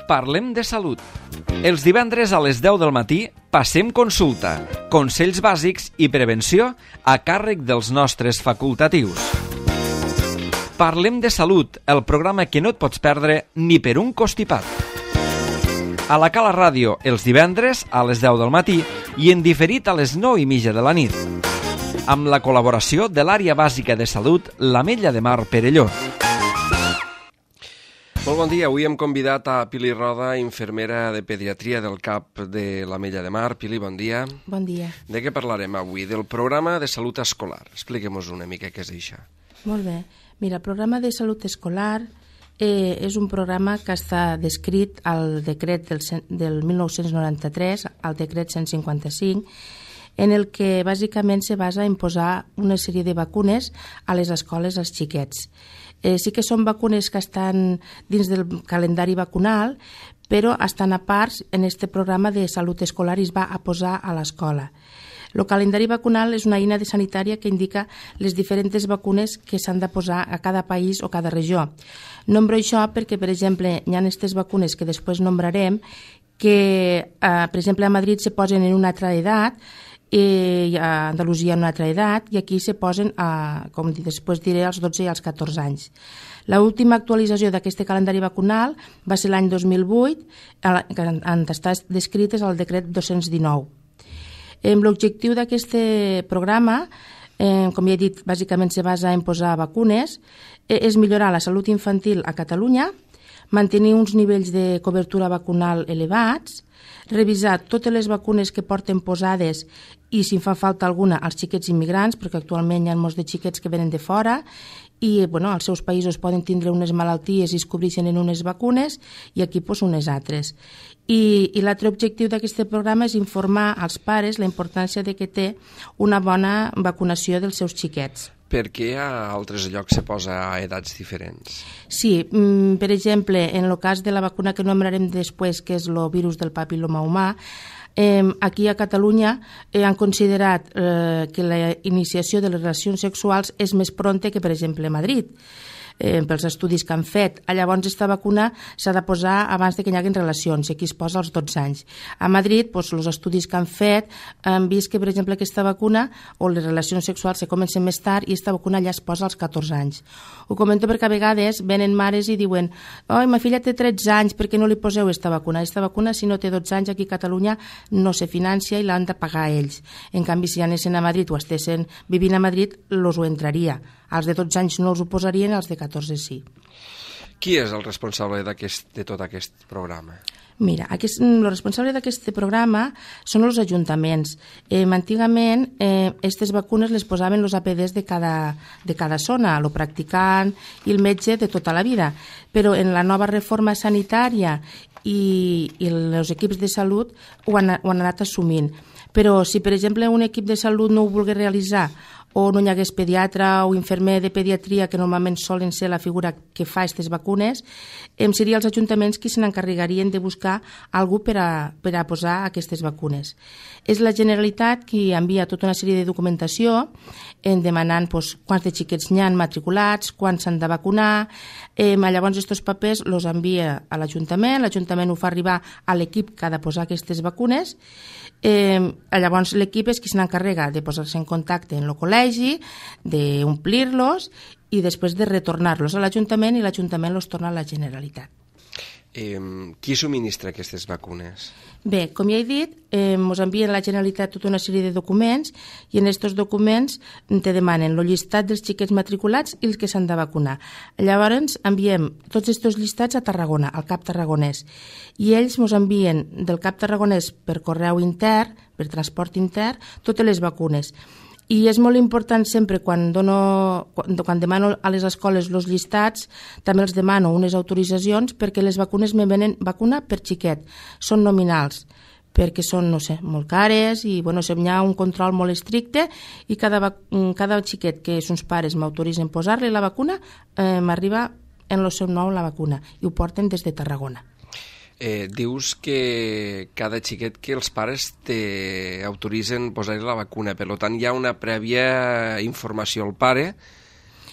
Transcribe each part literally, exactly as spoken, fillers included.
Parlem de salut. Els divendres a les deu del matí passem consulta, consells bàsics i prevenció a càrrec dels nostres facultatius. Parlem de salut, el programa que no et pots perdre ni per un costipat. A la Cala Ràdio, els divendres a les deu del matí i en diferit a les nou i mitja de la nit. Amb la col·laboració de l'Àrea Bàsica de Salut, l'Ametlla de Mar Perelló. Molt bon dia, avui hem convidat a Pili Roda, infermera de pediatria del C A P de l'Ametlla de Mar. Pili, bon dia. Bon dia. De què parlarem avui? Del programa de salut escolar. Expliquem-nos una mica què és això. Molt bé. Mira, el programa de salut escolar eh, és un programa que està descrit al decret del, del mil nou-cents noranta-tres, al decret cent cinquanta-cinc, en el que bàsicament se basa en posar una sèrie de vacunes a les escoles als xiquets. Eh, sí que són vacunes que estan dins del calendari vacunal, però estan a part en aquest programa de salut escolar i es va a posar a l'escola. El calendari vacunal és una eina de sanitària que indica les diferents vacunes que s'han de posar a cada país o cada regió. Nombro això perquè, per exemple, hi ha aquestes vacunes que després nombrarem que, eh, per exemple, a Madrid se posen en una altra edat, i a Andalusia en una altra edat, i aquí se posen, a, com després diré, als dotze i als catorze anys. L'última actualització d'aquest calendari vacunal va ser l'any dos mil vuit, on està descrit al decret dos-cents dinou. L'objectiu d'aquest programa, eh, com ja he dit, bàsicament se basa en posar vacunes, eh, és millorar la salut infantil a Catalunya, mantenir uns nivells de cobertura vacunal elevats, revisar totes les vacunes que porten posades i, si fa falta alguna, als xiquets immigrants, perquè actualment hi ha molts de xiquets que venen de fora i bueno, als seus països poden tindre unes malalties i es cobreixen en unes vacunes i aquí pues, unes altres. I, i l'altre objectiu d'aquest programa és informar als pares la importància de que té una bona vacunació dels seus xiquets. Per què a altres llocs se posa a edats diferents? Sí, per exemple, en el cas de la vacuna que nombrarem després, que és el virus del papil·loma humà, eh, aquí a Catalunya eh, han considerat eh, que la iniciació de les relacions sexuals és més pronta que, per exemple, a Madrid. Eh, pels estudis que han fet. Llavors, aquesta vacuna s'ha de posar abans de que hi hagin relacions, i aquí es posa als dotze anys. A Madrid, doncs, els estudis que han fet han vist que, per exemple, aquesta vacuna o les relacions sexuals se comencen més tard i aquesta vacuna ja es posa als catorze anys. Ho comento perquè a vegades venen mares i diuen «Oi, ma filla té tretze anys, per què no li poseu aquesta vacuna?» Aquesta vacuna, si no té dotze anys, aquí a Catalunya no se financia i l'han de pagar ells. En canvi, si anessin a Madrid o estessin vivint a Madrid, els ho entraria. Els de dotze anys no els ho posarien, els de catorze sí. Qui és el responsable de tot aquest programa? Mira, aquest, el responsable d'aquest programa són els ajuntaments. Eh, antigament, aquestes eh, vacunes les posaven els A P Ds de cada, de cada zona, el practicant i el metge de tota la vida. Però en la nova reforma sanitària i, i els equips de salut ho han, ho han anat assumint. Però si, per exemple, un equip de salut no ho volgués realitzar o no hi hagués pediatre o infermer de pediatria, que normalment solen ser la figura que fa aquestes vacunes, eh, serien els ajuntaments qui se n'encarregarien de buscar algú per a, per a posar aquestes vacunes. És la Generalitat qui envia tota una sèrie de documentació en demanant doncs, quants de xiquets n'hi ha matriculats, quants s'han de vacunar. Eh, llavors, aquests papers els envia a l'Ajuntament, l'Ajuntament ho fa arribar a l'equip que ha de posar aquestes vacunes. Eh, llavors, l'equip és qui se n'encarrega de posar-se en contacte en el col·legi, d'omplir-los i després de retornar-los a l'Ajuntament i l'Ajuntament els torna a la Generalitat. Eh, qui subministra aquestes vacunes? Bé, com ja he dit, eh, ens envien a la Generalitat tota una sèrie de documents i en aquests documents te demanen el llistat dels xiquets matriculats i els que s'han de vacunar. Llavors enviem tots aquests llistats a Tarragona, al C A P tarragonès, i ells ens envien del C A P tarragonès per correu intern, per transport intern, totes les vacunes. I és molt important sempre, quan, dono, quan, quan demano a les escoles els llistats, també els demano unes autoritzacions perquè les vacunes me venen vacuna per xiquet. Són nominals, perquè són, no sé, molt cares i bueno, hi ha un control molt estricte i cada, cada xiquet que els pares m'autoritzen posar-li la vacuna, eh, m'arriba en el seu nom la vacuna i ho porten des de Tarragona. Eh, dius que cada xiquet que els pares t'autoritzen posar-li la vacuna, per tant hi ha una prèvia informació al pare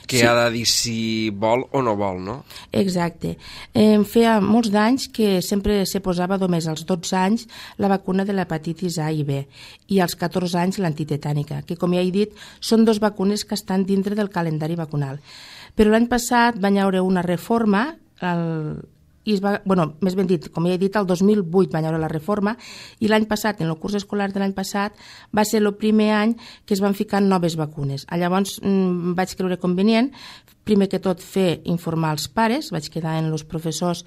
que sí. Ha de dir si vol o no vol, no? Exacte. Eh, feia molts d'anys que sempre se posava només als dotze anys la vacuna de l'hepatitis A i B i als catorze anys l'antitetànica, que com ja he dit són dos vacunes que estan dintre del calendari vacunal. Però l'any passat van haure una reforma, el, i es va, bueno, més ben dit, com ja he dit, el dos mil vuit van haure la reforma i l'any passat, en el curs escolar de l'any passat, va ser el primer any que es van ficar noves vacunes. Llavors mmm, vaig creure convenient, primer que tot, fer informar els pares, vaig quedar en els professors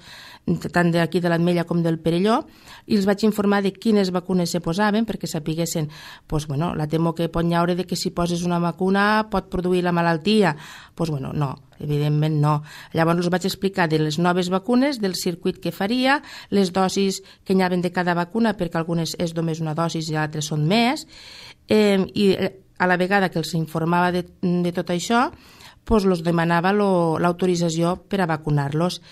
tant d'aquí de l'Ametlla com del Perelló, i els vaig informar de quines vacunes se posaven perquè sapiguessin, pues, bueno, la temor que pot haure de que si poses una vacuna pot produir la malaltia. Pues, bueno, no, evidentment no. Llavors els vaig explicar de les noves vacunes, del circuit que faria, les dosis que hi havia de cada vacuna, perquè algunes és només una dosis i altres són més, eh, i a la vegada que els informava de, de tot això, pues, els demanava l'autorització per a vacunar-los.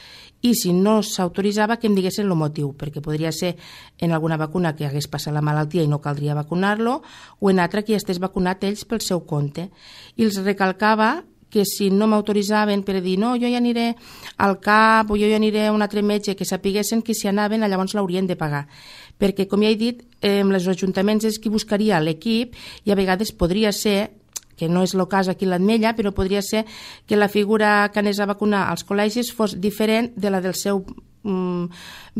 I si no s'autoritzava, que em diguessin el motiu, perquè podria ser en alguna vacuna que hagués passat la malaltia i no caldria vacunar-lo, o en altra que ja estés vacunat ells pel seu compte. I els recalcava que si no m'autoritzaven per dir no, jo ja aniré al CAP o jo ja aniré a un altre metge, que sapiguessin que si anaven llavors l'haurien de pagar. Perquè, com ja he dit, eh, els ajuntaments és qui buscaria l'equip i a vegades podria ser, que no és el cas aquí a l'Ametlla, però podria ser que la figura que anés a vacunar als col·legis fos diferent de la del seu um,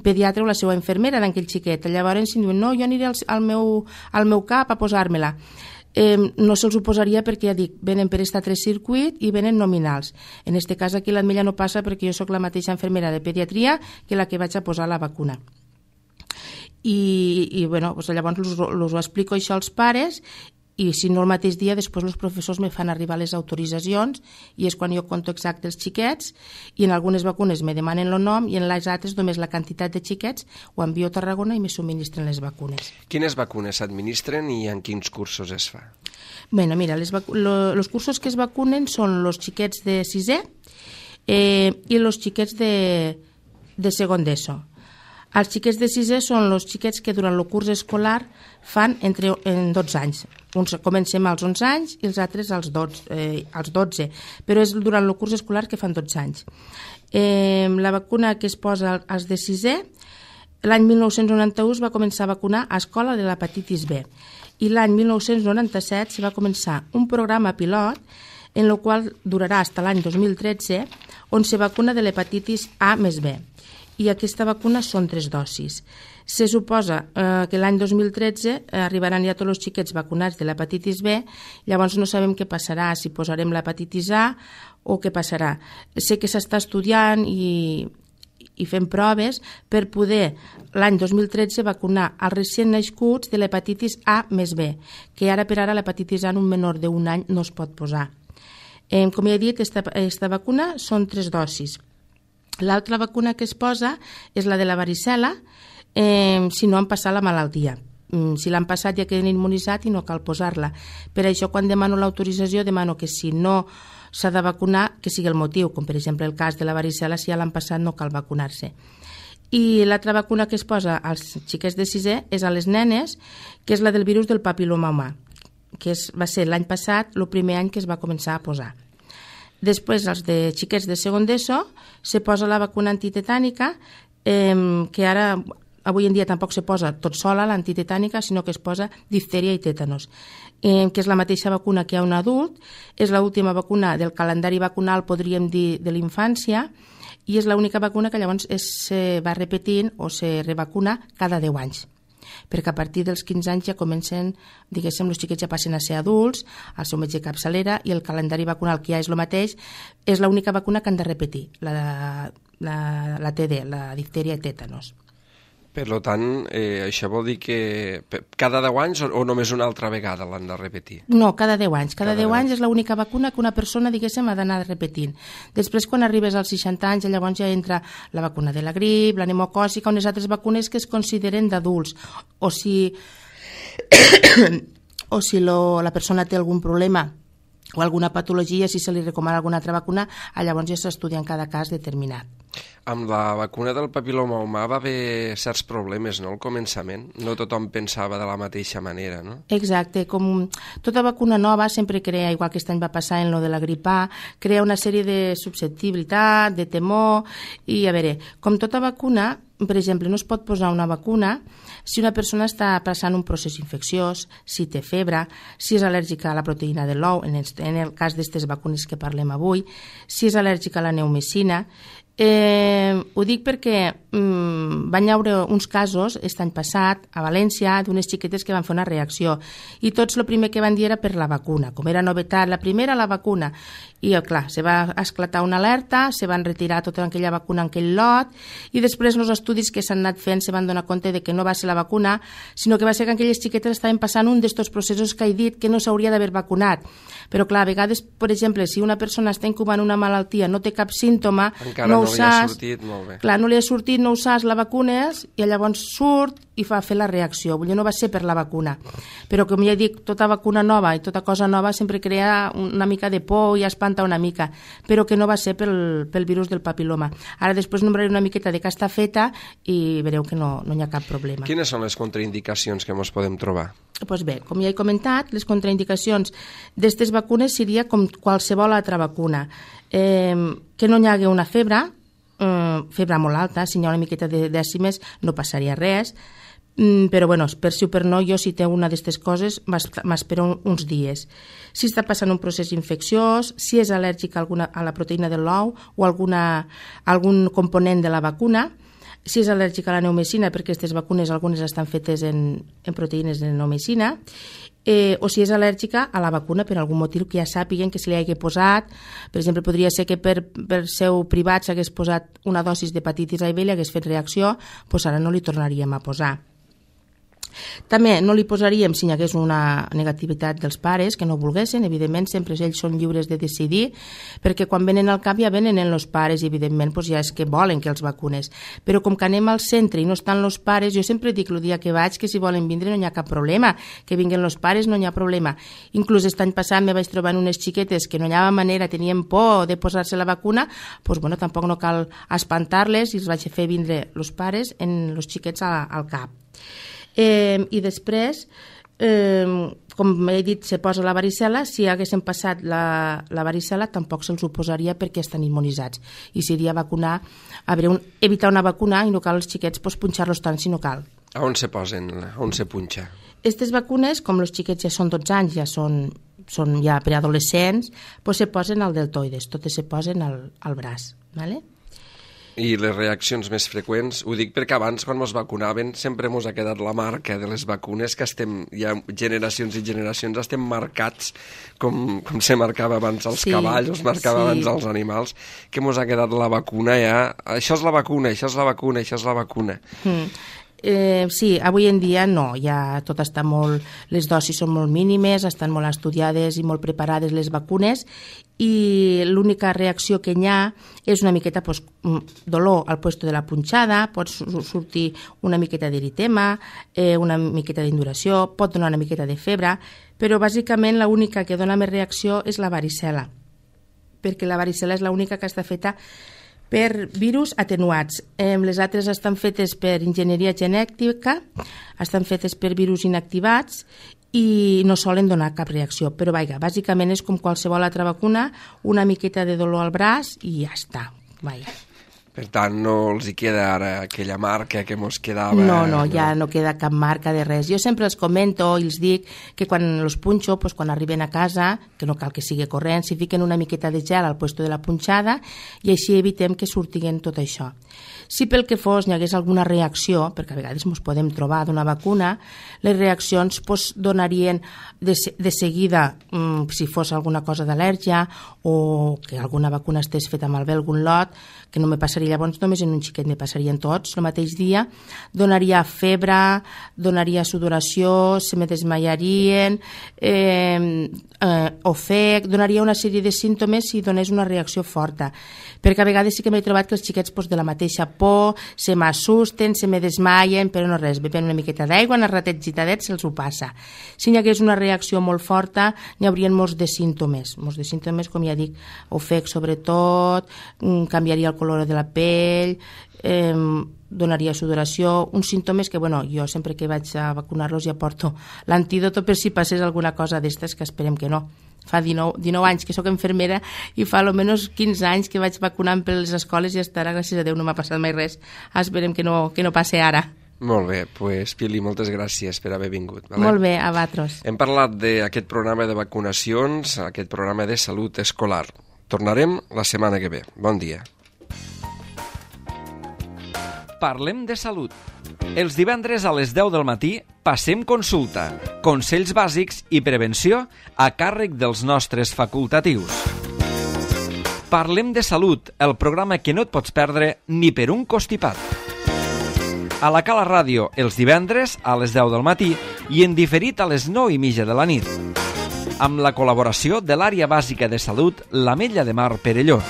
pediatre o la seva infermera d'aquell xiquet. Llavors, si diuen, no, jo aniré al, al, meu, al meu CAP a posar-me-la. Eh, no se'ls ho posaria perquè, ja dic, venen per aquest altre circuit i venen nominals. En aquest cas aquí a l'Ametlla no passa perquè jo sóc la mateixa infermera de pediatria que la que vaig a posar la vacuna. I, i bueno, doncs llavors us, us ho explico això als pares i si no el mateix dia, després els professors me fan arribar les autoritzacions i és quan jo conto exacte els xiquets i en algunes vacunes me demanen el nom i en les altres només la quantitat de xiquets ho envio a Tarragona i me subministren les vacunes. Quines vacunes s'administren i en quins cursos es fa? Bueno, mira, les los cursos que es vacunen són els xiquets de sisè eh, i els xiquets de, de segon d'ESO. Els xiquets de sisè són els xiquets que durant el curs escolar fan entre en dotze anys. Uns comencem als onze anys i els altres als dotze, eh, als dotze, però és durant el curs escolar que fan dotze anys. Eh, la vacuna que es posa als de sisè, l'any mil nou-cents noranta-u es va començar a vacunar a escola de l'hepatitis B i l'any mil nou-cents noranta-set se va començar un programa pilot en el qual durarà fins a l'any dos mil tretze on se vacuna de l'hepatitis A més B. I aquesta vacuna són tres dosis. Se suposa eh, que l'any dos mil tretze eh, arribaran ja tots els xiquets vacunats de l'hepatitis B, llavors no sabem què passarà, si posarem l'hepatitis A o què passarà. Sé que s'està estudiant i, i fent proves per poder l'any dos mil tretze vacunar els recient nascuts de l'hepatitis A més B, que ara per ara l'hepatitis A en un menor d'un any no es pot posar. Eh, com ja he dit, esta, esta vacuna són tres dosis. L'altra vacuna que es posa és la de la varicel·la, eh, si no han passat la malaltia. Si l'han passat ja queden immunitzat i no cal posar-la. Per això, quan demano l'autorització, demano que si no s'ha de vacunar, que sigui el motiu, com per exemple el cas de la varicel·la, si ja l'han passat no cal vacunar-se. I l'altra vacuna que es posa als xiquets de sisè és a les nenes, que és la del virus del papil·loma humà, que és, va ser l'any passat el primer any que es va començar a posar. Després, els de xiquets de segon d'ESO, se posa la vacuna antitetànica, eh, que ara, avui en dia tampoc se posa tot sola l'antitetànica, sinó que es posa diftèria i tètanos, eh, que és la mateixa vacuna que hi ha un adult, és l'última vacuna del calendari vacunal, podríem dir, de l'infància, i és l'única vacuna que llavors es, se va repetint o se revacuna cada deu anys. Perquè a partir dels quinze anys ja comencen, diguéssim, els xiquets ja passen a ser adults, al seu metge capçalera, i el calendari vacunal, que ja és el mateix, és l'única vacuna que han de repetir, la, la, la T D, la diftèria i tètanos. Per tant, eh, això vol dir que cada deu anys o, o només una altra vegada l'han de repetir? No, cada deu anys. Cada, cada deu anys és l'única vacuna que una persona, diguéssim, ha d'anar repetint. Després, quan arribes als seixanta anys, llavors ja entra la vacuna de la grip, la pneumocòcica, unes altres vacunes que es consideren d'adults. O si, o si lo, la persona té algun problema o alguna patologia, si se li recomana alguna altra vacuna, llavors ja s'estudia en cada cas determinat. Amb la vacuna del papiloma humà va haver certs problemes, no?, al començament. No tothom pensava de la mateixa manera, no? Exacte, com tota vacuna nova sempre crea, igual que aquest any va passar en lo de la grip A, crea una sèrie de susceptibilitat, de temor, i a veure, com tota vacuna, per exemple, no es pot posar una vacuna si una persona està passant un procés infecciós, si té febre, si és al·lèrgica a la proteïna de l'ou, en el, en el cas d'aquestes vacunes que parlem avui, si és al·lèrgica a la neumicina. Eh, ho dic perquè mm, van haure uns casos aquest any passat a València d'unes xiquetes que van fer una reacció i tots el primer que van dir era per la vacuna, com era novetat, la primera la vacuna, i clar, se va esclatar una alerta, se van retirar tota aquella vacuna en aquell lot, i després els estudis que s'han anat fent se van donar compte de que no va ser la vacuna, sinó que va ser que aquelles xiquetes estaven passant un d'estos processos que he dit que no s'hauria d'haver vacunat. Però clar, a vegades, per exemple, si una persona està incubant una malaltia, no té cap símptoma, encara no no ho li ha saps, sortit, molt bé. Clar, no li ha sortit, no ho saps, la vacunes, i llavors surt i fa fer la reacció. Vull dir, no va ser per la vacuna. Però, com ja dic, tota vacuna nova i tota cosa nova sempre crea una mica de por i espanta una mica, però que no va ser pel, pel virus del papiloma. Ara després nombraré una miqueta de què està feta i veureu que no, no hi ha cap problema. Quines són les contraindicacions que ens podem trobar? Doncs bé, com ja he comentat, les contraindicacions d'aquestes vacunes seria com qualsevol altra vacuna. Eh, que no hi hagi una febre, eh, febre molt alta, si hi ha una miqueta de dècimes no passaria res, mm, però bueno, per sí o per no, jo si té una d'aquestes coses m'espero uns dies. Si està passant un procés infecciós, si és al·lèrgic a, alguna, a la proteïna de l'ou o alguna, algun component de la vacuna, si és al·lèrgica a la neumicina, perquè aquestes vacunes algunes estan fetes en, en proteïnes de neumicina, eh, o si és al·lèrgica a la vacuna per algun motiu que ja sàpiguen que se li hagi posat. Per exemple, podria ser que per, per seu privat s'hagués posat una dosis d'hepatitis A i B i li hagués fet reacció, doncs ara no li tornaríem a posar. També no li posaríem si hi hagués una negativitat dels pares que no volguessin, evidentment sempre ells són lliures de decidir, perquè quan venen al cap ja venen els pares i evidentment doncs ja és que volen que els vacunes, però com que anem al centre i no estan els pares, jo sempre dic el dia que vaig que si volen vindre no hi ha cap problema, que vinguin els pares no hi ha problema. Inclús aquest any passat me vaig trobar unes xiquetes que no hi havia manera, tenien por de posar-se la vacuna, doncs bueno, tampoc no cal espantar-les i els vaig fer vindre els pares en els xiquets al cap. Eh, i després eh, com he dit, se posa la varicel·la, si haguessin passat la, la varicel·la tampoc se'ls ho posaria perquè estan immunitzats i seria vacunar, a veure, un, evitar una vacuna i no cal els xiquets pues, punxar-los tant si no cal. A on se posen? A on se punxa? Aquestes vacunes, com els xiquets ja són dotze anys, ja són, són ja preadolescents, pues se posen al deltoides, totes se posen al, al braç, ¿vale? I les reaccions més freqüents, ho dic perquè abans quan ens vacunaven sempre ens ha quedat la marca de les vacunes que estem, ja generacions i generacions estem marcats com, com se marcava abans els sí, cavalls, es marcava sí. abans els animals, que ens ha quedat la vacuna ja, això és la vacuna, això és la vacuna, això és la vacuna. Mm. Eh, sí, avui en dia no, ja tot està molt, les dosis són molt mínimes, estan molt estudiades i molt preparades les vacunes i l'única reacció que hi ha és una miqueta pues, dolor al puesto de la punxada, pot sortir una miqueta d'eritema, eh, una miqueta d'induració, pot donar una miqueta de febre, però bàsicament l'única que dona més reacció és la varicel·la, perquè la varicel·la és l'única que està feta per virus atenuats. Eh, les altres estan fetes per enginyeria genètica, estan fetes per virus inactivats i no solen donar cap reacció. Però vaja, bàsicament és com qualsevol altra vacuna, una miqueta de dolor al braç i ja està. Vaja. Per tant, no els hi queda ara aquella marca que mos quedava... No, no, ja no queda cap marca de res. Jo sempre els comento i els dic que quan els punxo, pues, quan arriben a casa, que no cal que sigui corrent, si fiquen una miqueta de gel al puesto de la punxada i així evitem que surtiguen tot això. Si pel que fos hi hagués alguna reacció, perquè a vegades ens podem trobar d'una vacuna, les reaccions pues, donarien de, de seguida, mmm, si fos alguna cosa d'al·lèrgia o que alguna vacuna estés feta malbé algun lot, que no me passaria llavors només en un xiquet, me passarien tots el mateix dia, donaria febre, donaria sudoració, se me desmaiarien, eh, eh, ofec, donaria una sèrie de símptomes si donés una reacció forta. perquè a vegades sí que m'he trobat que els xiquets pues, de la mateixa por se m'assusten, se me desmaien, però no res, beben una miqueta d'aigua, en el ratet gitadet se'ls ho passa. Si n'hi hagués una reacció molt forta, n'hi haurien molts de símptomes, molts de símptomes, com ja dic, ofec sobretot, canviaria el color de la pell, eh, donaria sudoració, uns símptomes que, bueno, jo sempre que vaig a vacunar-los ja porto l'antídot per si passés alguna cosa d'estes, que esperem que no. Fa dinou, dinou anys que sóc infermera i fa almenys quinze anys que vaig vacunant per les escoles i hasta ara, gràcies a Déu, no m'ha passat mai res. Esperem que no, que no passi ara. Molt bé, doncs Pili, moltes gràcies per haver vingut. Vale? Molt bé, a vosaltres. Hem parlat d'aquest programa de vacunacions, aquest programa de salut escolar. Tornarem la setmana que ve. Bon dia. Parlem de salut. Els divendres a les deu del matí passem consulta, consells bàsics i prevenció a càrrec dels nostres facultatius. Parlem de salut, el programa que no et pots perdre ni per un costipat. A la Cala Ràdio, els divendres a les deu del matí i en diferit a les nou i mitja de la nit. Amb la col·laboració de l'Àrea Bàsica de Salut, l'Ametlla de Mar Perelló.